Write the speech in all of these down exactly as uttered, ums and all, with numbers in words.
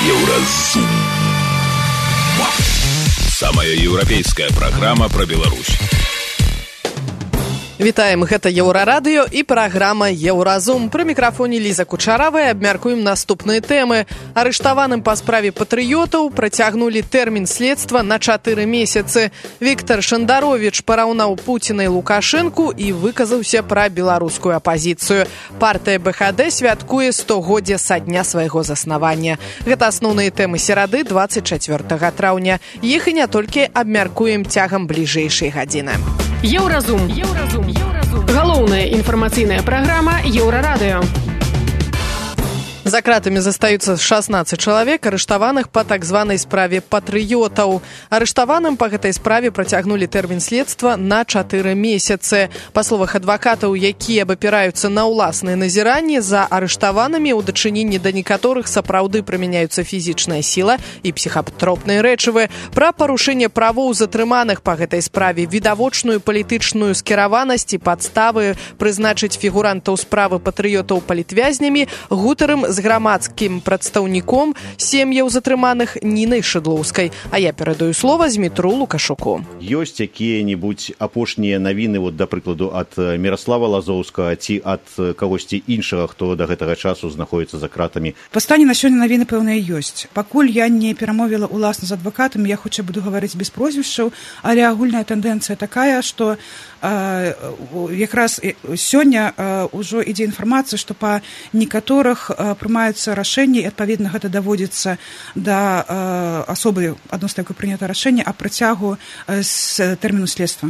Еўразум. Самая еўрапейская праграма пра Беларусь. Вітаем, гэта Еўрарадыё і праграма Еўразум. Пры мікрафоне Ліза Кучаравая абмяркуем наступныя тэмы. Арыштаваным па справе патрыётаў працягнулі тэрмін следства на чатыры месяцы. Віктор Шандаровіч параўнаў Пуціна і Лукашэнку і выказаўся пра беларускую апазіцыю. Партыя бэ ха дэ святкуе стагоддзе са дня свайго заснавання. Гэта асноўныя тэмы серады дваццаць чацвёртага траўня. Іх і не толькі абмяркуем цягам бліжэйшай гадзіны. Еўразум. Еўразум. Еўразум. Галоўная інфармацыйная праграма Еўрарадыё. За кратамі застаюцца шаснаццаць чалавек, арыштаваных па так званай справе патрыётаў. Арыштаваным па гэтай справе працягнулі тэрмін следства на чатыры месяцы. Па словах адвакатаў, якія абапіраюцца на ўласныя назіранні, за арыштаванымі ў дачыненні да некаторых сапраўды прымяняюцца фізічная сіла і псіхатропныя рэчывы. Пра парушэнне правоў затрыманых па гэтай справе, відавочную палітычную скіраванасць і падставы прызначыць фігурантаў справы патрыётаў палітвязнямі гутарым з грамадскім прадстаўніком сем'яў затрыманых Нінай Шыдлоўскай. А я перадаю слова Змітру Лукашуку. Ёсць якія-небудзь апошнія навіны, вот, да прыкладу, ад Міраслава Лазоўскага ці ад кагосьці іншага, хто да гэтага часу знаходзіцца за кратамі? Па стане на сёння навіны, пэўныя, ёсць. Пакуль я не перамовіла ўласна з адвакатам, я хутчэй буду гаварыць без прозвішчаў, але агульная тэндэнцыя такая, што э, якраз сёння э, ўжо ідзе інфармацыя, што па некаторых э, прымаюцца рашэнні, і адпаведна гэта даводзіцца да э, асобы, адносна якой прынята рашэнне аб працягу э, з тэрміну следства.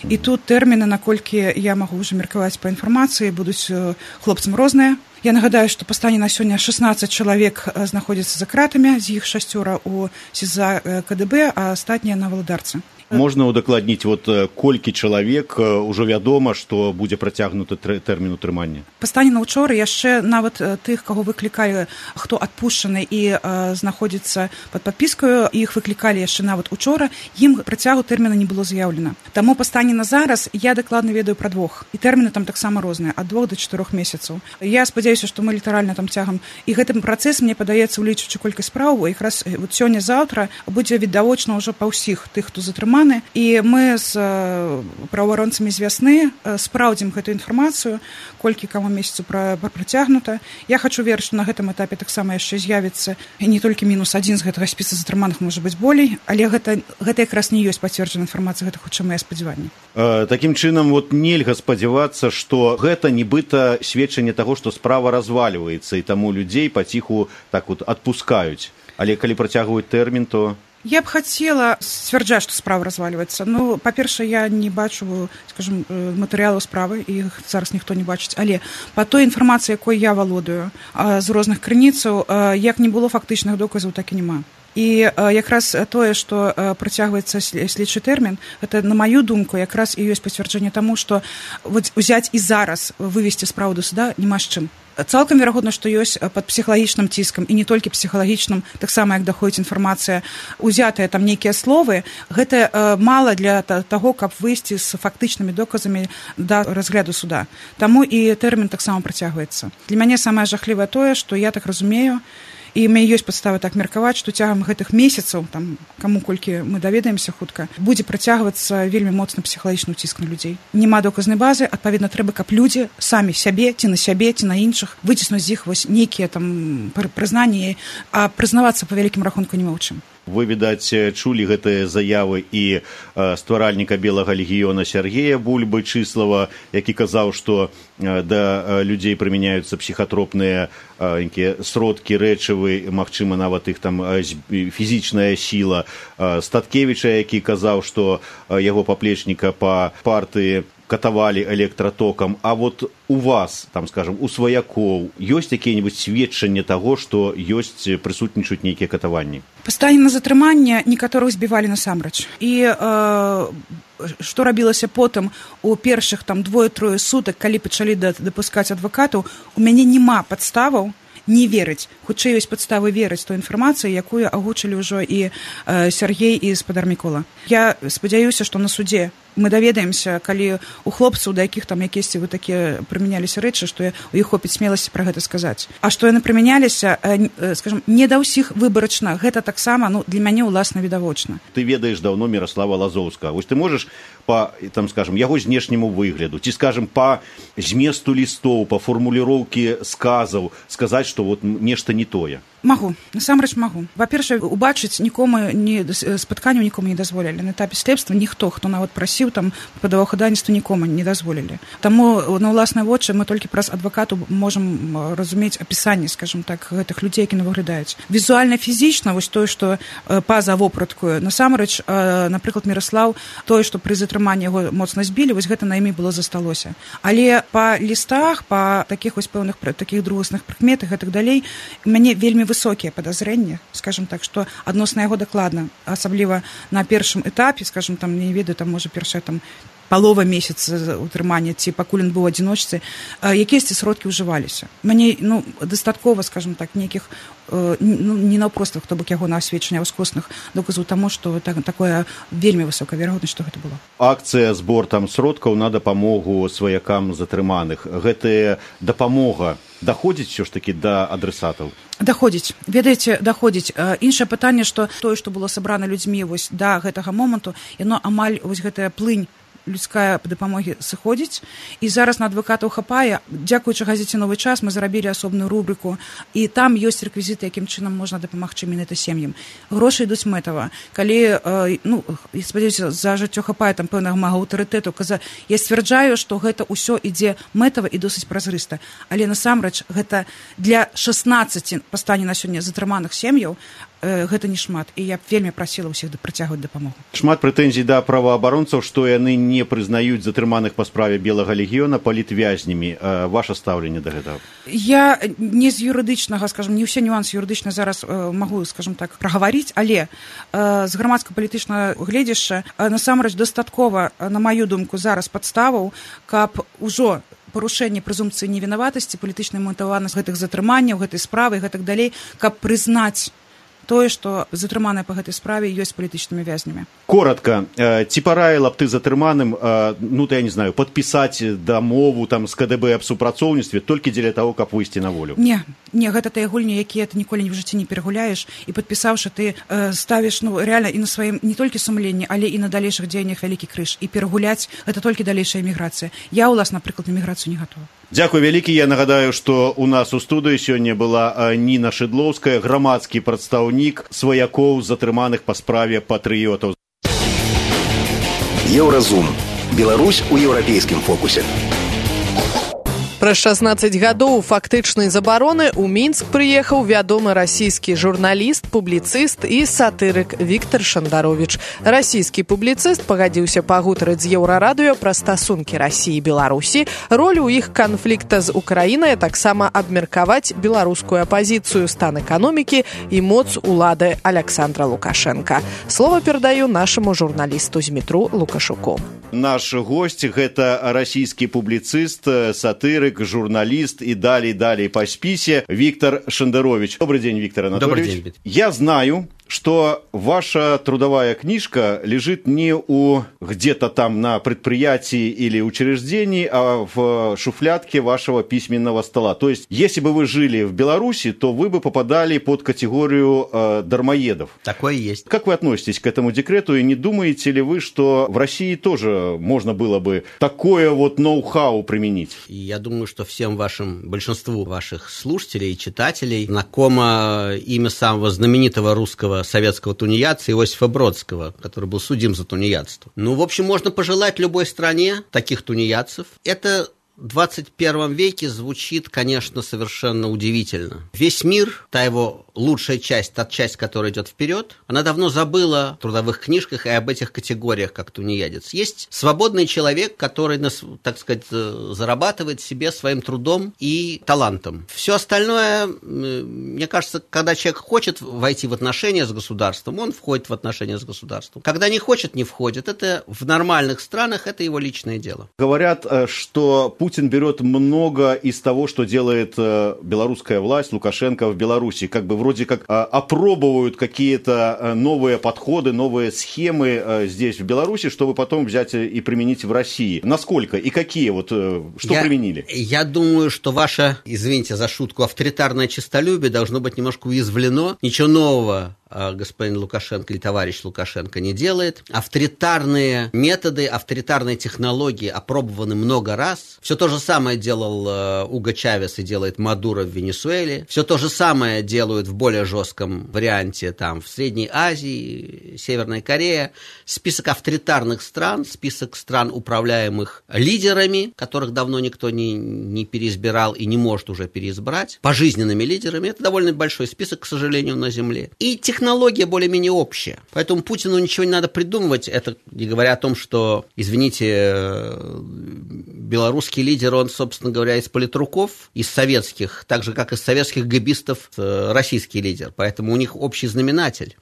І тут тэрміны, наколькі я магу ўжо меркаваць па інфармацыі, будуць э, хлопцам розныя. Я нагадаю, што па стане на сёння шаснаццаць чалавек знаходзяцца за кратамі, з іх шасцёра ў СІЗА ка дэ бэ, а астатнія на Валадарцы. Можна удакладніць, вот, колькі чалавек ужо вядома, што будзе працягнуты тэрмін утрымання? Па стане на ўчора яшчэ нават тых, каго выклікалі, хто адпушчаны і э, знаходзіцца пад падпіскаю, іх выклікалі яшчэ нават учора, ім працягу тэрміна не было заяўлена. Таму па стане на зараз я дакладна ведаю пра двух. І тэрміны там таксама розныя, ад двух да чатырох месяцаў. Я спадзяюся, што мы літаральна там цягам. І гэты працэс, мне падаецца, улічваючы колькасць спраў, якраз вот сёння-заўтра будзе відавочна ўжо па ўсіх тых, хто затрыманы. І мы з праваабаронцамі з вясны спраўдзім гэтую інфармацыю, колькі каму месяцу працягнута. Я хачу верыць, што на гэтым этапе таксама яшчэ з'явіцца не толькі мінус адзін з гэтага спіса затрыманых, можа быць болей, але гэта, гэта якраз не ёсць пацверджаная інфармацыя, гэта хутчэй мае спадзяванні. Э, такім чынам, вот, нельга спадзявацца, што гэта нібыта сведчанне таго, што справа развальваецца, і таму людзей паціху так вот адпускаюць. Але калі працягваюць тэрмін, то... Я б хацела сцвярджаць, што справа развальваецца. Ну, па-першае, я не бачу, скажем, матэрыялаў справы, і іх зараз ніхто не бачыць. Але па той інфармацыі, якой я валодаю з розных крыніцаў, як не было фактычных доказаў, так і няма. І якраз тое, што працягваецца следчы тэрмін, гэта, на маю думку, якраз і ёсць пацвярджэнне таму, што узяць і зараз вывесці справу да суда няма з чым. Цалкам верагодна, што ёсць пад псіхалагічным ціскам, і не толькі псіхалагічным, таксама як даходзіць інфармацыя, узятыя там нейкія словы, гэта э, мала для таго, каб выйсці з фактычнымі доказамі да разгляду суда. Таму і тэрмін таксама працягваецца. Для мяне самае жахлівае тое, што я так разумею, і ў мяне ёсць падставы так меркаваць, што цягам гэтых месяцаў, там, каму колькі мы даведаемся хутка, будзе працягвацца вельмі моцны псіхалагічны ўціск на людзей. Няма доказнай базы, адпаведна, трэба, каб людзі самі сябе, ці на сябе, ці на іншых, выціснуць з іх вось нейкія там прызнанні, а прызнавацца па вялікім рахунку няма ў чым. Вы, відаць, чулі гэтыя заявы і э, стваральніка Белага легіёна Сергея Бульбы-Чыслава, які казаў, што э, да э, людзей прымяняюцца псіхатропныя э, сродкі, рэчывы, магчыма, нават іх там э, фізічная сіла. Э, Статкевіча, які казаў, што э, яго паплечніка па партыі катавалі электратокам, а вот у вас, там, скажем, у сваякоў ёсць якія-небудзь сведчанне таго, што ёсць, прысутнічаюць нейкія катаванні? Па стане на затрыманне некаторых збівалі насамрэч. І э, што рабілася потым у першых там двое-трое сутак, калі пачалі дапускаць адвакатаў, у мяне няма падставаў не верыць. Хутчэй ёсць падставы верыць той інфармацыі, якую агучылі ўжо і э, Сергей і спадар Мікола. Я спадзяюся, што на судзе мы даведаемся, калі у хлопцаў, да якіх там якісьці вы такія прымяняліся рэчы, што у іх хопіць смеласці пра гэта сказаць. А што яны прымяняліся, скажем, не да ўсіх выбарачна, гэта таксама, ну, для мяне ўласна відавочна. Ты ведаеш даўно Міраслава Лазоўскага. Вось ты можаш па, там, скажем, яго знешняму выгляду, ці, скажем, па зместу лістоў, па фармуліроўкі сказаў, сказаць, што вот нешта не тое? Магу, насамрэч магу. Па-першае, убачыць нікому не спатканняў нікому не дазволілі. На этапе следства ніхто, хто нават прасіў там падаваў хадайніцтва, нікому не дазволілі. Таму на ўласныя вочы мы толькі праз адвакату можам разумець апісанне, скажем так, гэтых людзей, які выглядаюць. Візуальна, фізічна, вось тое, што па-за вопраткою, насамрэч, напрыклад, Міраслаў, тое, што пры затрыманні яго моцна збілі, вось гэта на імі было засталося. Але па лістах, па такіх вось пэўных такіх другасных прыкметах і так далей, мяне вельмі высокія падазрэнні, скажем так, што адносна яго дакладна, асабліва на першым этапе, скажем, там, не ведаю, там, можа, першая там палова месяца утрымання, ці пакуль ён быў адзіночцы, якісь сродкі ўжываліся. Мне, ну, дастаткова, скажем так, нейкіх, ну, не наўпростых, хто бок яго на асведчання ўскосных доказаў таму, што так, такое вельмі высокая верагоднасць, што гэта было. Акцыя збор там сродкаў на дапамогу сваякам затрыманых. Гэтая дапамога даходзіць ўсё ж такі да адресатаў? Даходзіць. Ведаеце, даходзіць. Іншае пытанне, што тое, што было сабрана людзьмі вось да гэтага моманту, яно амаль вось гэтая плынь людская дапамогі сыходзіць, і зараз на адвакатаў хапае. Дзякуючы газеце «Новы час» мы зарабілі асобную рубрыку, і там ёсць рэквізіты, якім чынам можна дапамагчы менавіта сем'ям. Грошы ідуць мэтава. Калі, ну, спадзяюся, за жыццё хапае там пэўнага мага аўтарытэту, каза, я сцвярджаю, што гэта ўсё ідзе мэтава і досыць празрыста. Але насамрэч гэта для шаснаццаці па стане на сёння затрыманых сем'яў гэта не шмат, і я б вельмі прасіла ўсіх працягваць дапамогу. Шмат прэтэнзій да праваабаронцаў, што яны не прызнаюць затрыманых па справе Белага легіёна палітвязнямі. Ваша стаўленне да гэтага? Я не з юрыдычнага, скажем, не ўсе нюансы юрыдычна зараз магу, скажем так, прагаварыць, але з грамадска-палітычнага гледзяшча насамрэч дастаткова, на маю думку, зараз падставаў, каб ужо парушэнне прэзумпцыі невінаватасці, палітычнай матываванасці гэтых затрыманняў, гэтай справы і гэтак далей, каб прызнаць тое, што затрыманыя па гэтай справе ёсць палітычнымі вязнямі. Коротка, ці параіла б ты затрыманым, ну, то я не знаю, падпісаць дамову там з ка дэ бэ аб супрацоўніцтве толькі дзеля таго, каб выйсці на волю? Не, не, гэта тыя гульні, якія ты ніколі в жыцці не перагуляеш, і падпісаўшы, ты э, ставіш, ну, рэальна і на сваім не толькі сумленні, але і на далейшых дзеяннях вялікі крыж. І перагуляць гэта толькі далейшая эміграцыя. Я, уласна, напрыклад, на эміграцыю не гатова. Дзякуй вялікі. Я нагадаю, што у нас у студыі сёння была Ніна Шыдлоўская, грамадскі прадстаўнік сваякоў затрыманых па справе патрыётаў. Еўразум. Беларусь у еўрапейскім фокусе. Праз шаснаццаць гадоў фактычнай забароны ў Мінск прыехаў вядомы расійскі журналіст, публіцыст і сатырык Віктар Шандаровіч. Расійскі публіцыст пагадзіўся пагутарыць з Еўрарадыё пра стасункі Расіі і Беларусі, ролю ў іх канфлікта з Украінай, таксама абмеркаваць беларускую апазіцыю, стан эканомікі і моц улады Аляксандра Лукашенка. Слова перадаю нашаму журналісту з метро Лукашуку. Наш госць – гэта расійскі публіцыст, сатырык, журналист и далее-далее по списе Виктор Шандарович. Добрый день, Виктор Анатольевич. Добрый день. Я знаю, что ваша трудовая книжка лежит не у где-то там на предприятии или учреждении, а в шуфлядке вашего письменного стола. То есть, если бы вы жили в Беларуси, то вы бы попадали под категорию э, дармоедов. Такое есть. Как вы относитесь к этому декрету, и не думаете ли вы, что в России тоже можно было бы такое вот ноу-хау применить? Я думаю, что всем вашим, большинству ваших слушателей и читателей знакомо имя самого знаменитого русского советского тунеядца Иосифа Бродского, который был судим за тунеядство. Ну, в общем, можно пожелать любой стране таких тунеядцев. Это в двадцать первом веке звучит, конечно, совершенно удивительно. Весь мир, та его лучшая часть, та часть, которая идет вперед, она давно забыла в трудовых книжках и об этих категориях, как тунеядец. Есть свободный человек, который, так сказать, зарабатывает себе своим трудом и талантом. Все остальное, мне кажется, когда человек хочет войти в отношения с государством, он входит в отношения с государством. Когда не хочет, не входит. Это в нормальных странах, это его личное дело. Говорят, что Путин берет много из того, что делает белорусская власть, Лукашенко в Беларуси, как бы вроде вроде как опробовывают какие-то новые подходы, новые схемы здесь, в Беларуси, чтобы потом взять и применить в России. Насколько и какие? Вот, что я, применили? Я думаю, что ваше, извините за шутку, авторитарное честолюбие должно быть немножко уязвлено. Ничего нового господин Лукашенко или товарищ Лукашенко не делает. Авторитарные методы, авторитарные технологии опробованы много раз. Все то же самое делал Уго Чавес и делает Мадуро в Венесуэле. Все то же самое делают в более жестком варианте там, в Средней Азии, Северной Корее. Список авторитарных стран, список стран, управляемых лидерами, которых давно никто не, не переизбирал и не может уже переизбрать, пожизненными лидерами. Это довольно большой список, к сожалению, на Земле. И технология более-менее общая. Поэтому Путину ничего не надо придумывать. Это не говоря о том, что, извините, белорусский лидер, он, собственно говоря, из политруков, из советских, так же, как из советских гэбистов, российский лидер. Поэтому у них общий знаменатель.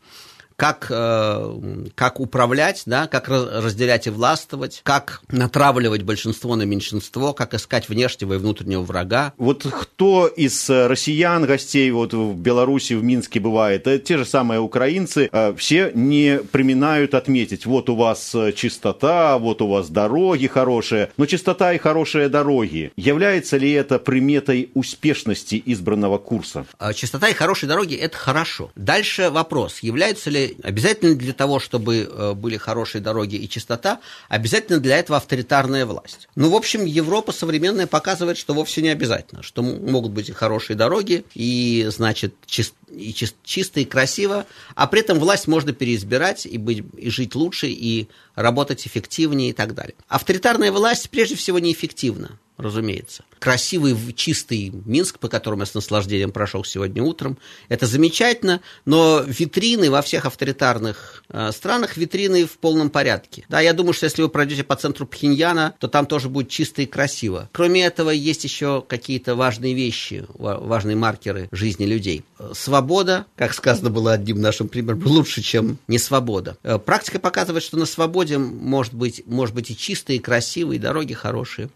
Как, как управлять, да, как разделять и властвовать, как натравливать большинство на меньшинство, как искать внешнего и внутреннего врага. Вот кто из россиян, гостей вот в Беларуси, в Минске бывает, те же самые украинцы, все не преминают отметить, вот у вас чистота, вот у вас дороги хорошие, но чистота и хорошие дороги, является ли это приметой успешности избранного курса? Чистота и хорошие дороги – это хорошо. Дальше вопрос, являются ли обязательно для того, чтобы были хорошие дороги и чистота, обязательно для этого авторитарная власть. Ну, в общем, Европа современная показывает, что вовсе не обязательно, что могут быть и хорошие дороги, и, значит, чист, и чист, чисто и красиво, а при этом власть можно переизбирать и, быть, и жить лучше, и работать эффективнее и так далее. Авторитарная власть прежде всего неэффективна. Разумеется. Красивый, чистый Минск, по которому я с наслаждением прошел сегодня утром, это замечательно, но витрины во всех авторитарных э, странах, витрины в полном порядке. Да, я думаю, что если вы пройдете по центру Пхеньяна, то там тоже будет чисто и красиво. Кроме этого, есть еще какие-то важные вещи, важные маркеры жизни людей. Свобода, как сказано было одним нашим примером, лучше, чем не свобода. Практика показывает, что на свободе может быть, может быть и чисто, и красиво, и дороги хорошие.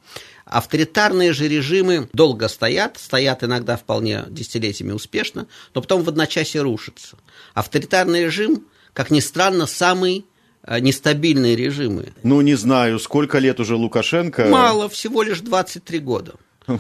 Авторитарные же режимы долго стоят, стоят иногда вполне десятилетиями успешно, но потом в одночасье рушатся. Авторитарный режим, как ни странно, самый нестабильный режим. Ну, не знаю, сколько лет уже Лукашенко? Мало, всего лишь двадцать три года.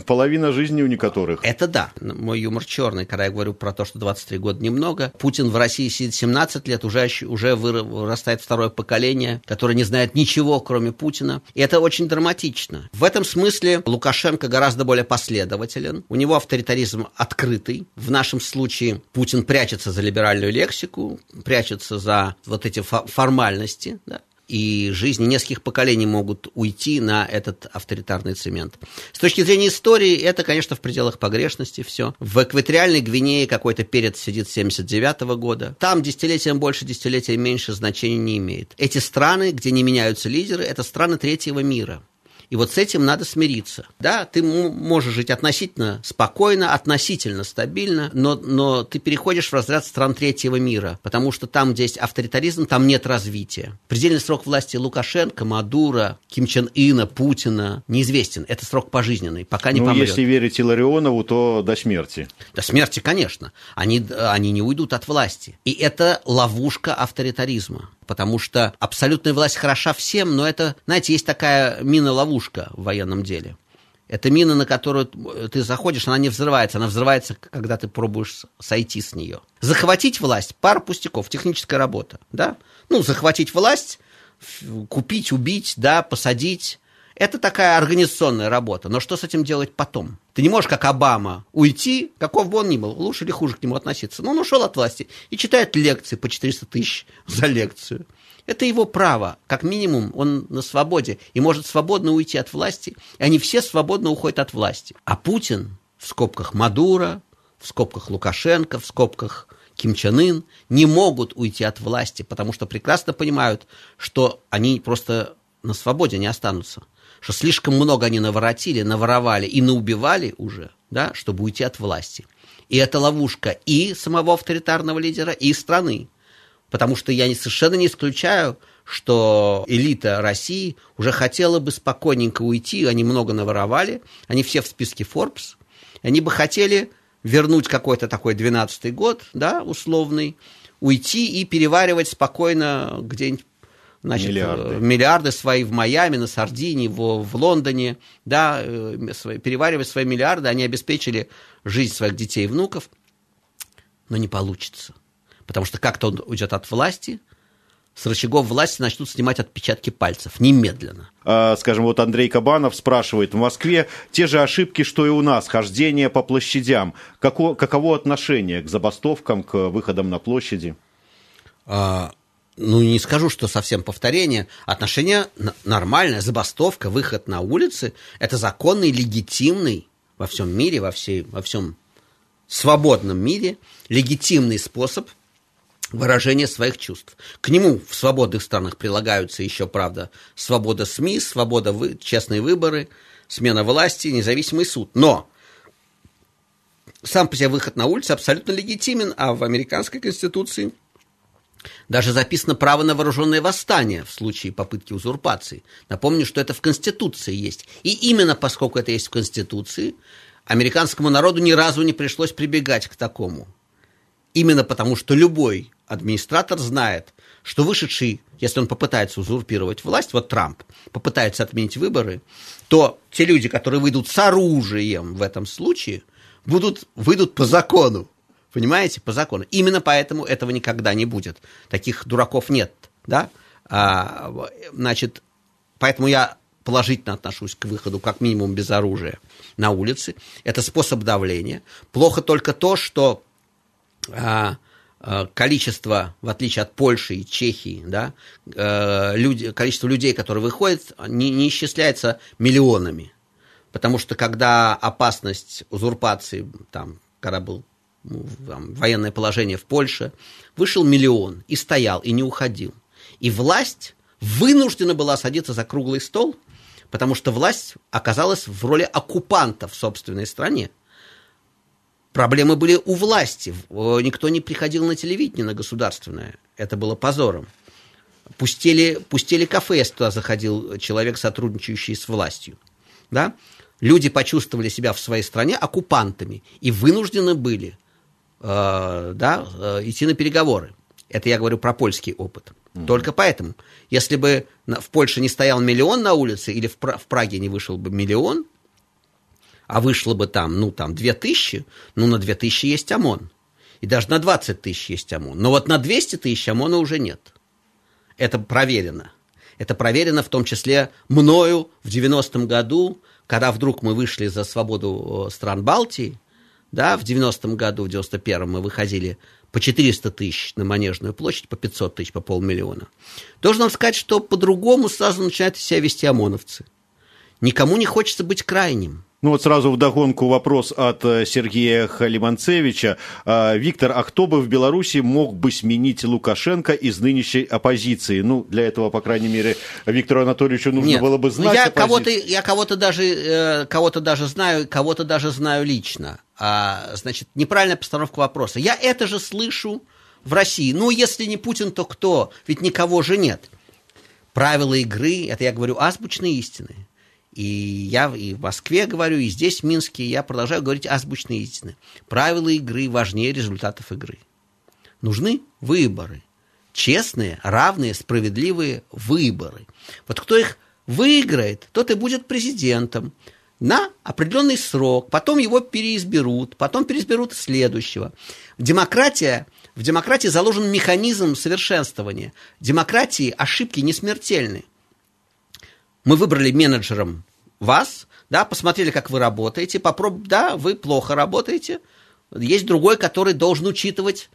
Половина жизни у некоторых. Это да. Мой юмор черный, когда я говорю про то, что двадцать три года немного. Путин в России сидит семнадцать лет, уже, уже вырастает второе поколение, которое не знает ничего, кроме Путина. И это очень драматично. В этом смысле Лукашенко гораздо более последователен. У него авторитаризм открытый. В нашем случае Путин прячется за либеральную лексику, прячется за вот эти формальности, да? И жизни нескольких поколений могут уйти на этот авторитарный цемент. С точки зрения истории, это, конечно, в пределах погрешности все. В экваториальной Гвинее какой-то перец сидит с семьдесят девятого года. Там десятилетием больше, десятилетием меньше значения не имеет. Эти страны, где не меняются лидеры, это страны третьего мира. И вот с этим надо смириться. Да, ты можешь жить относительно спокойно, относительно стабильно, но, но ты переходишь в разряд стран третьего мира, потому что там, где есть авторитаризм, там нет развития. Предельный срок власти Лукашенко, Мадуро, Ким Чен Ына, Путина неизвестен. Это срок пожизненный, пока не ну, помрет. Если верить Илларионову, то до смерти. До смерти, конечно. Они, они не уйдут от власти. И это ловушка авторитаризма. Потому что абсолютная власть хороша всем, но это, знаете, есть такая мина-ловушка в военном деле. Это мина, на которую ты заходишь, она не взрывается. Она взрывается, когда ты пробуешь сойти с нее. Захватить власть – пара пустяков, техническая работа. Да? Ну, захватить власть, купить, убить, да, посадить – это такая организационная работа. Но что с этим делать потом? Ты не можешь, как Обама, уйти, каков бы он ни был, лучше или хуже к нему относиться. Но он ушел от власти и читает лекции по четыреста тысяч за лекцию. Это его право. Как минимум, он на свободе и может свободно уйти от власти. И они все свободно уходят от власти. А Путин, в скобках Мадуро, в скобках Лукашенко, в скобках Ким Чен Ын, не могут уйти от власти, потому что прекрасно понимают, что они просто на свободе не останутся. Что слишком много они наворотили, наворовали и наубивали уже, да, чтобы уйти от власти. И это ловушка и самого авторитарного лидера, и страны. Потому что я совершенно не исключаю, что элита России уже хотела бы спокойненько уйти, они много наворовали, они все в списке Forbes, они бы хотели вернуть какой-то такой двенадцатый год, да, условный, уйти и переваривать спокойно где-нибудь, значит, миллиарды. миллиарды свои в Майами, на Сардинии, в, в Лондоне, да, свои, переваривать свои миллиарды, они обеспечили жизнь своих детей и внуков, но не получится, потому что как-то он уйдет от власти, с рычагов власти начнут снимать отпечатки пальцев немедленно. А, скажем, вот Андрей Кабанов спрашивает, в Москве те же ошибки, что и у нас, хождение по площадям. Како, каково отношение к забастовкам, к выходам на площади? А, ну, не скажу, что совсем повторение. Отношение нормальное, забастовка, выход на улицы – это законный, легитимный во всем мире, во, всей, во всем свободном мире, легитимный способ выражение своих чувств. К нему в свободных странах прилагаются еще, правда, свобода СМИ, свобода, вы... честные выборы, смена власти, независимый суд. Но сам по себе выход на улицу абсолютно легитимен, а в американской конституции даже записано право на вооруженное восстание в случае попытки узурпации. Напомню, что это в Конституции есть. И именно поскольку это есть в Конституции, американскому народу ни разу не пришлось прибегать к такому. Именно потому, что любой администратор знает, что вышедший, если он попытается узурпировать власть, вот Трамп попытается отменить выборы, то те люди, которые выйдут с оружием в этом случае, будут, выйдут по закону. Понимаете? По закону. Именно поэтому этого никогда не будет. Таких дураков нет. Да? А, значит, поэтому я положительно отношусь к выходу, как минимум, без оружия на улицы. Это способ давления. Плохо только то, что а, количество, в отличие от Польши и Чехии, да, люди, количество людей, которые выходят, не, не исчисляется миллионами. Потому что когда опасность узурпации, там, когда был там, военное положение в Польше, вышел миллион и стоял, и не уходил. И власть вынуждена была садиться за круглый стол, потому что власть оказалась в роли оккупанта в собственной стране. Проблемы были у власти. Никто не приходил на телевидение, на государственное. Это было позором. Пустели, пустели кафе, если туда заходил человек, сотрудничающий с властью. Да? Люди почувствовали себя в своей стране оккупантами и вынуждены были э, да, э, идти на переговоры. Это я говорю про польский опыт. Mm-hmm. Только поэтому, если бы в Польше не стоял миллион на улице или в, Пра- в Праге не вышел бы миллион, а вышло бы там, ну, там, две тысячи, ну, на две тысячи есть ОМОН. И даже на двадцать тысяч есть ОМОН. Но вот на двести тысяч ОМОНа уже нет. Это проверено. Это проверено в том числе мною в девяностом году, когда вдруг мы вышли за свободу стран Балтии, да, в девяностом году, в девяносто первом мы выходили по четыреста тысяч на Манежную площадь, по пятьсот тысяч, по полмиллиона. Должен вам сказать, что по-другому сразу начинают себя вести ОМОНовцы. Никому не хочется быть крайним. Ну вот сразу вдогонку вопрос от Сергея Халиманцевича. Виктор, а кто бы в Беларуси мог бы сменить Лукашенко из нынешней оппозиции? Ну, для этого, по крайней мере, Виктору Анатольевичу нужно Нет, было бы знать я оппозицию. Кого-то, я кого-то даже, кого-то даже знаю, кого-то даже знаю лично. А, значит, неправильная постановка вопроса. Я это же слышу в России. Ну, если не Путин, то кто? Ведь никого же нет. Правила игры, это я говорю азбучные истины. И я и в Москве говорю, и здесь, в Минске, я продолжаю говорить азбучные истины. Правила игры важнее результатов игры. Нужны выборы. Честные, равные, справедливые выборы. Вот кто их выиграет, тот и будет президентом на определенный срок. Потом его переизберут, потом переизберут следующего. Демократия, в демократии заложен механизм совершенствования. В демократии ошибки не смертельны. Мы выбрали менеджером вас, да, посмотрели, как вы работаете, попроб... да, вы плохо работаете. Есть другой, который должен учитывать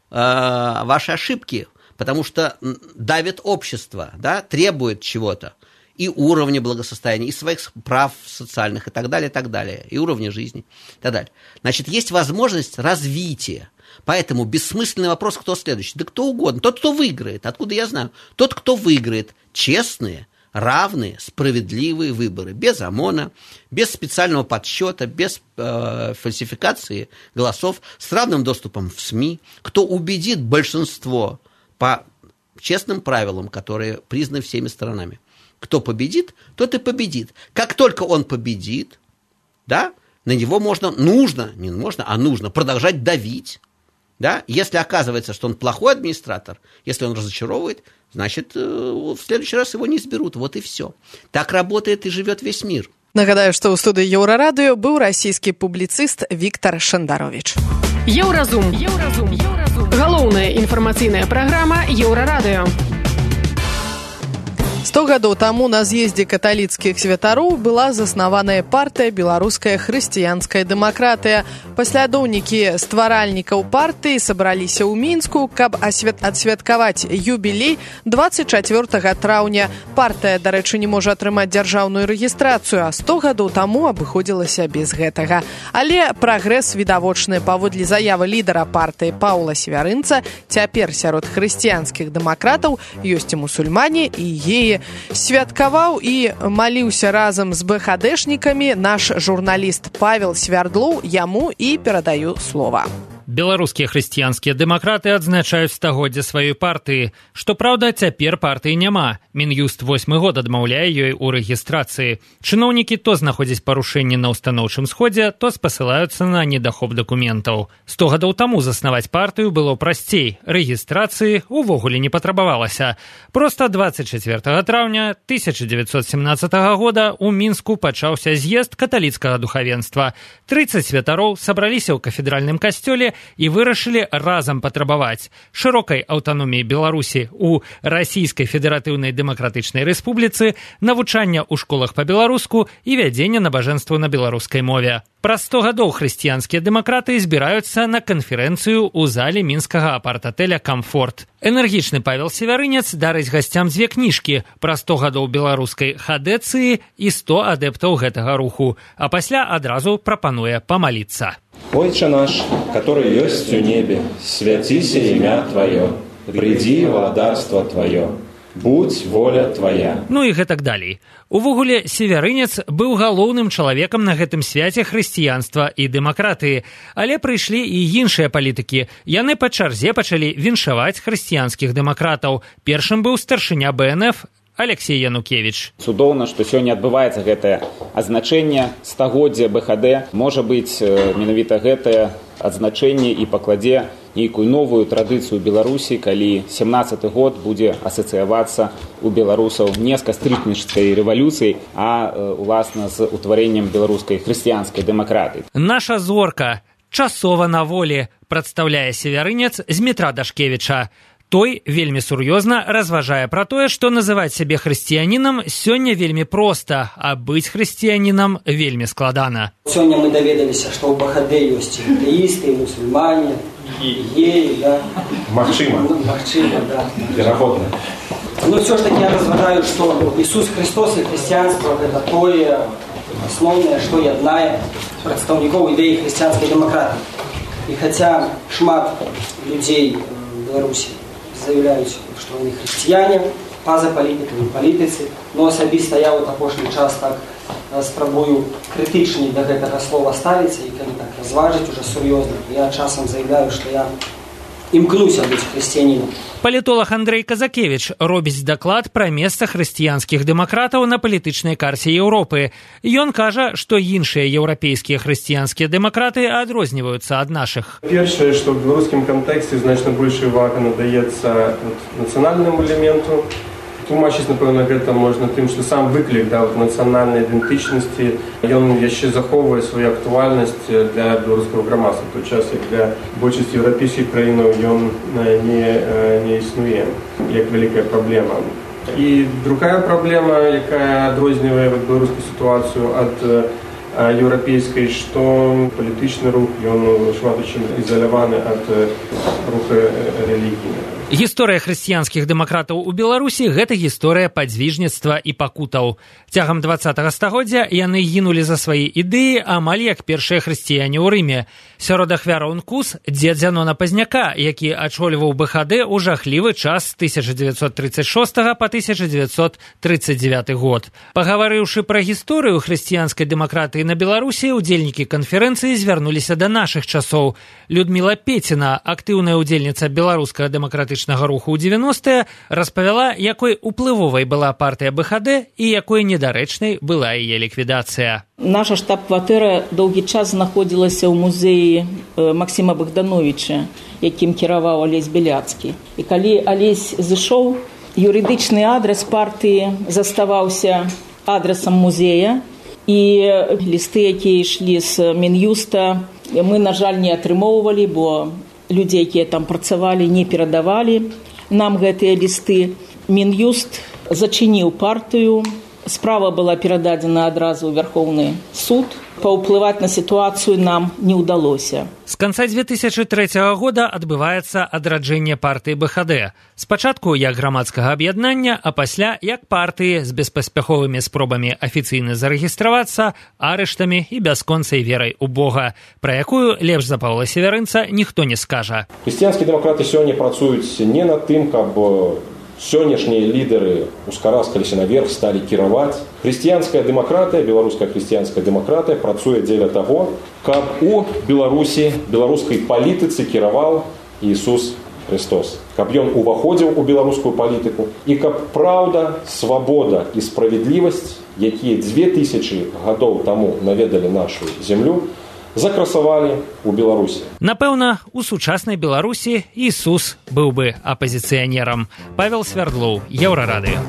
э, ваши ошибки, потому что давит общество, да, требует чего-то, и уровня благосостояния, и своих прав социальных, и так далее, и так далее, и уровня жизни, и так далее. Значит, есть возможность развития. Поэтому бессмысленный вопрос, кто следующий. Да кто угодно. Тот, кто выиграет. Откуда я знаю? Тот, кто выиграет. Честные, равные, справедливые выборы, без ОМОНа, без специального подсчета, без э, фальсификации голосов, с равным доступом в СМИ, кто убедит большинство по честным правилам, которые признаны всеми сторонами. Кто победит, тот и победит. Как только он победит, да, на него можно, нужно, не можно, а нужно продолжать давить. Да? Если оказывается, что он плохой администратор, если он разочаровывает, значит, в следующий раз его не изберут. Вот и все. Так работает и живет весь мир. Нагадаю, што ў студыі Еўрарадыё быў расійскі публіцыст Віктар Шандаровіч. Еўразум. Еўразум. Еўразум. Галоўная інфармацыйная праграма Еўрарадыё. сто гадоў таму на з'ездзе каталіцкіх святароў была заснаваная партыя «Беларуская хрысціянская дэмакратыя». Паслядоўнікі стваральнікаў партыі сабраліся ў Мінску, каб адсвяткаваць юбілей дваццаць чацвёртага траўня. Партыя, дарэчы, не можа атрымаць дзяржаўную рэгістрацыю, а сто гадоў таму абыходзілася без гэтага. Але прагрэс відавочны. Паводле заявы лідара партыі Паўла Севярынца, цяпер сярод хрысціянскіх дэмакратаў ёсць і мусульмане, і геі. Святкаваў і маліўся разам з БХДшнікамі наш журналіст Павел Свярдлоў, яму і перадаю слова. Беларускія хрысціянскія дэмакраты адзначаюць стагоддзе сваёй партыі. Што праўда, цяпер партыі няма. Мін'юст восьмы год адмаўляе ёй у рэгістрацыі. Чыноўнікі то знаходзяць парушэнні на ўстаноўчым сходзе, то спасылаюцца на недахоп дакументаў. Сто гадоў таму заснаваць партыю было прасцей. Рэгістрацыі ўвогуле не патрабавалася. Проста дваццаць чацвёртага траўня тысяча дзевяцьсот семнаццатага года ў Мінску пачаўся з'езд каталіцкага духавенства. трыццаць святароў сабраліся ў кафедральным касцёле і вырашылі разам патрабаваць шырокай аўтаноміі Беларусі ў Расійскай Федэратыўнай Дэмакратычнай Рэспубліцы, навучання ў школах па-беларуску і вядзення набажэнстваў на беларускай мове. Праз сто гадоў хрысціянскія дэмакраты збіраюцца на канферэнцыю ў зале мінскага апарт-атэля «Камфорт». Энергічны Павел Севярынец дарыць гасцям дзве кніжкі пра сто гадоў беларускай хадэцыі і сто адэптаў гэтага руху, а пасля адразу прапануе памаліцца. «Отче наш, который есть в небе, святися имя Твое, приди владарство Твое. Будь воля твоя». Ну і гэтак далей. Увогуле, Севярынец быў галоўным чалавекам на гэтым свяце хрысціянства і дэмакратыі. Але прыйшлі і іншыя палітыкі. Яны па чарзе пачалі віншаваць хрысціянскіх дэмакратаў. Першым быў старшыня Бэ Эн Эф Алексей Янукевич. Цудоўна, што сёння адбываецца гэтае адзначэнне стагоддзя Бэ Ха Дэ. Можа быць, менавіта гэтае адзначэнне і пакладзе нейкую новую традыцыю Беларусі, калі семнаццаты год будзе асацыявацца у беларусаў не з кастрычніцкай рэвалюцыяй, а уласна з утварэннем беларускай хрысціянскай дэмакратыі. Наша зорка часова на волі, прадстаўляе Севярынец Змітра Дашкевіча. Той вельмі сур'ёзна разважае пра тое, што называць сябе хрысціянінам сёння вельмі проста, а быць хрысціянінам вельмі складана. Сёння мы даведаліся, што ў Бэ Ха Дэ ёсць атэісты, мусульмане, геі, да. Магчыма. Ну, магчыма, да. Верагодна. Но все ж таки я разважаю, што Ісус Христос і хрысціянства гэта тое асноўнае, што яднае прадстаўнікоў ідэі хрысціянскай дэмакратыі. І хаця шмат людзей в Беларусі заявляюць, што яны хрысціяне, па-за палітыкамі, палітыцы, но асабіста я ў апошні час так спрабую крытычней да гэтага слова ставіцца і калі так разважыць уже сур'ёзна. Я часам заявляю, што я імкнуся быць хрысціянінам. Палітолог Андрэй Казакевіч робіць даклад пра месца хрысціянскіх дэмакратаў на палітычнай карце Еўропы. Ён кажа, што іншыя еўрапейскія хрысціянскія дэмакраты адрозніваюцца ад нашых. Першае, што ў беларускім кантэксце значна большая ўвага надаецца нацыянальнаму элементу. Тлумачыць, напэўна, гэта можна тым, што сам выклік да, нацыянальнай ідэнтычнасці, ён яшчэ захоўвае сваю актуальнасць для беларускага грамадства, у той час, як для большасці еўрапейскіх краінаў ён не, не існуе, як вялікая праблема. І другая праблема, якая адрознівае беларускую сітуацыю ад еўрапейскай, што палітычны рух, ён шмат у чым ізаляваны ад руха рэлігійнага. Гісторыя хрысціянскіх дэмакратаў у Беларусі – гэта гісторыя падзвіжніцтва і пакутаў. Цягам дваццатага стагоддзя яны гінулі за свае ідэі амаль як першыя хрысціяне ў Рыме. Сярод ахвяраў эн ку эс дзед Зянона Пазняка, які ачольваў Бэ Ха Дэ ў жахлівы час з тысяча дзевяцьсот трыццаць шостага па тысяча дзевяцьсот трыццаць дзевяты год. Пагаварыўшы пра гісторыю хрысціянскай дэмакратыі на Беларусі, удзельнікі канферэнцыі звярнуліся да нашых часоў. Людміла Пеціна, актыўная удзельніца беларускага дэмакратычнага руху ў дзевяностыя, распавяла, якой уплывовай была партыя бэ ха дэ і якой недарэчнай была яе ліквідацыя. Наша штаб-кватэра доўгі час знаходзілася ў музеі Максіма Богдановича, якім кіраваў Алесь Беляцкі. І калі Алесь зышоў, юрыдычны адрес партыі заставаўся адресам музея, і лісты, якія ішлі з Мін'юста, мы, на жаль, не атрымоўвалі, бо людзі, якія там працавалі, не перадавалі нам гэтыя лісты. Мін'юст зачыніў партыю, справа была перададзена адразу ў Вярхоўны суд. Паўплываць на сітуацыю нам не ўдалося. З канца дзве тысячы трэцяга года адбываецца адраджэнне партыі бэ ха дэ. Спачатку як грамадскага аб'яднання, а пасля як партыі з беспаспяховымі спробамі афіцыйна зарэгістравацца, арыштамі і бясконцай верай у Бога, пра якую лепш за Паўла Северынца ніхто не скажа. Хрысціянскія дэмакраты сёння працуюць не над тым, каб сённяшнія лідары ускараскаліся наверх, сталі кіраваць. Хрысціянская дэмакратыя, беларуская хрысціянская дэмакратыя працуе дзеля таго, каб у Беларусі, беларускай палітыцы кіраваў Ісус Христос. Каб ён уваходзіў у беларускую палітыку і каб праўда, свабода і справядлівасць, якія дзве тысячы гадоў таму наведалі нашу зямлю, закрасавалі ў Беларусі. Напэўна, у сучаснай Беларусі Ісус быў бы апазіцыянерам. Павел Свярдлоў, Еўрарадыё.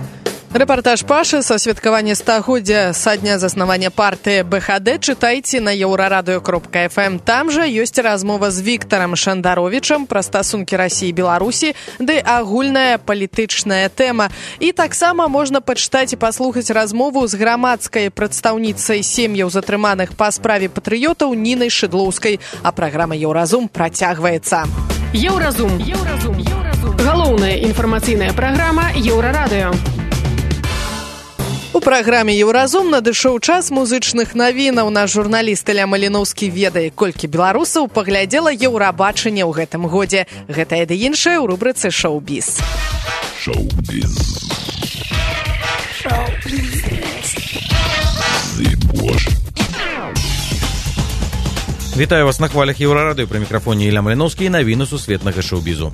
Рэпартаж Пашы са святкавання стагоддзя са дня заснавання партыі бэ ха дэ чытайце на еўрарадыё кропка эф эм. Там жа ёсць размова з Віктарам Шандаровічам пра стасункі Расіі і Беларусі, ды агульная палітычная тэма. І таксама можна пачытаць і паслухаць размову з грамадскай прадстаўніцай сем'яў затрыманых па справе патрыётаў Нінай Шыдлоўскай. А праграма «Еўразум» працягваецца. Еўразум. Еўразум. Еўразум. Галоўная інфармацыйная праграма «Еўрарадыё». У праграме «Еўразум» надышоў час музычных навінаў. Наш журналіст Ілля Маліноўскі ведае, колькі беларусаў паглядзела еўрабачанне ў гэтым годзе. Гэтае ды іншае ў рубрыцы «Шоу-біз». Шоу-біз. Шоу-біз. Вітаю вас на хвалях Еўрарадыё. Пры мікрафоне Ілля Маліноўскі і навіны сусветнага шоу-бізу.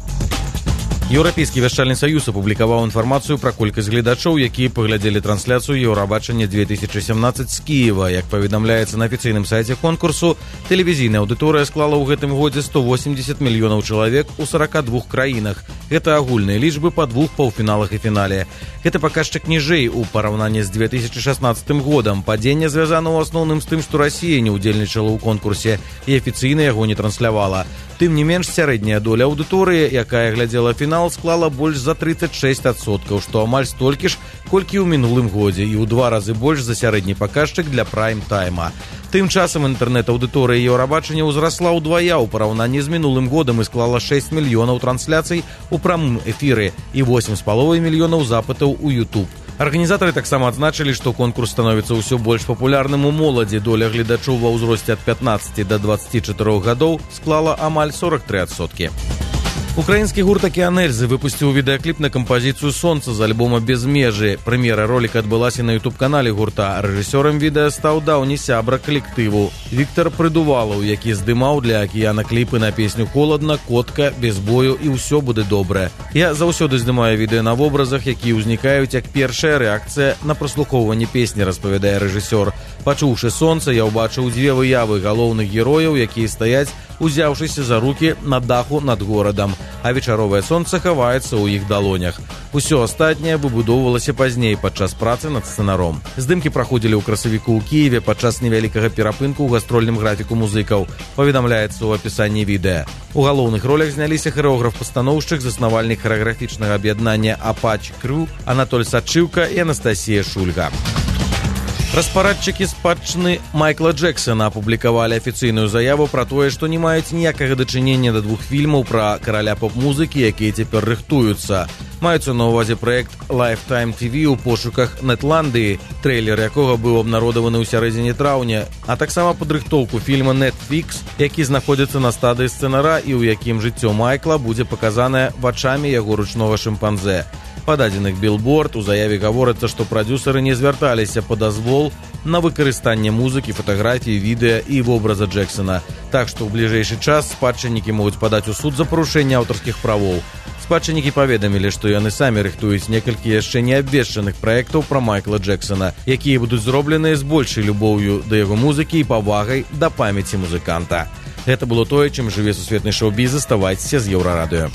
Еўрапейскі вяшчальны саюз апублікаваў інфармацыю пра колькасць гледачоў, якія паглядзелі трансляцыю Еўрабачання две тысячы сямнаццаць з Кіева. Як паведамляецца на афіцыйным сайце конкурсу, тэлевізійная аўдыторыя склала ў гэтым годзе сто восемьдесят мільёнаў чалавек у сорока двух краінах. Гэта агульныя лічбы па двух паўфіналах і фінале. Гэта паказчык ніжэй у параўнанні з две тысячы шаснаццатым годам. Падзенне звязана ў асноўным з тым, што Расія не ўдзельнічала ў конкурсе і афіцыйна яго не транслявала. Тым не менш, сярэдняя доля аўдыторыі, якая глядзела фінал, склала больш за тридцать шесть адсоткаў, што амаль столькі ж, колькі ў минулым годзе, і ў два разы больш за сярэдні паказчык для прайм-тайма. Тым часам інтэрнэт-аўдыторыя Еўрабачання ўзрасла ўдвая ў параўнанні з мінулым годам і склала шэсць мільёнаў трансляцый у прамым эфіры і восемь з паловай мільёнаў запытаў у YouTube. Арганізатары таксама адзначылі, што конкурс становіцца ўсё больш папулярным у моладзі. Доля гледачоў ва ўзросце ад пятнаццаці да дваццаці чатырох гадоў склала амаль сорок тры адсоткі. Украінскі гурт «Акіанельзы» выпусціў відэакліп на кампазіцыю «Сонца» з альбома «Без межы». Прэм'ера роліка адбылася на ютуб-канале гурта. Рэжысёрам відэа стаў даўні сябра калектыву Віктар Прыдувалаў, які здымаў для «Акіяна» кліпы на песню «Холодна», «Котка», «Без бою» і «Усё будзе добра». Я заўсёды здымаю відэа на вобразах, якія ўзнікаюць як першая рэакцыя на праслухоўванне песні, распавядае рэжысёр. Пачуўшы «Сонца», я ўбачыў дзве выявы галоўных герояў, якія стаяць, узяўшыся за рукі на даху над горадам, а вечаровае сонца хаваецца ў іх далонях. Усё астатняе выбудоўвалася пазней падчас працы над сцэнаром. Здымкі праходзілі ў красавіку ў Кіеве падчас невялікага перапынку ў гастрольным графіку музыкаў, паведамляецца ў апісанні відэа. У галоўных ролях зняліся харэограф-пастаноўшчык, заснавальнік харэаграфічнага аб'яднання «Апач Крю» Анатоль Сачыўка і Анастасія Шульга. Распарадчыкі спадчыны Майкла Джексона апублікавалі афіцыйную заяву пра тое, што не маюць ніякага дачынення да двух фільмаў пра караля поп-музыкі, якія цяпер рыхтуюцца. Маюцца на ўвазе праект Lifetime ти ви ў пошуках Нетландыі, трэйлер якога быў абнародаваны ў сярэдзіне траўня, а таксама падрыхтоўку фільма Netflix, які знаходзіцца на стадыі сцэнара і ў якім жыццё Майкла будзе паказанае вачамі яго ручнога шымпанзэ. Па дадзеных Billboard у заяве гаворыцца, што прадзюсары не звярталіся па дазвол на выкарыстанне музыкі, фатаграфіі, відэа і вобраза Джексона. Так што ў бліжэйшы час спадчыннікі могуць падаць у суд за парушэнне аўтарскіх правоў. Спадчыннікі паведамілі, што яны самі рыхтуюць некалькі яшчэ не абвешчаных праектаў пра Майкла Джексона, якія будуць зробленыя з большай любоўю да яго музыкі і павагай да памяці музыканта. Гэта было тое, чым жыве сусветны шоу-біз. Заставайцеся з Еўрарадыё.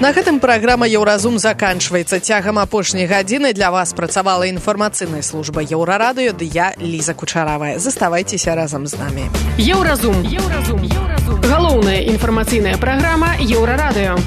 На гэтым праграма «Еўразум» заканчваецца. Цягам апошняй гадзіны для вас працавала інфармацыйная служба Еўрарадыё, ды я, Ліза Кучаравая. Заставайцеся разам з намі. Еўразум. Еўразум. Еўразум. Галоўная інфармацыйная праграма Еўрарадыё.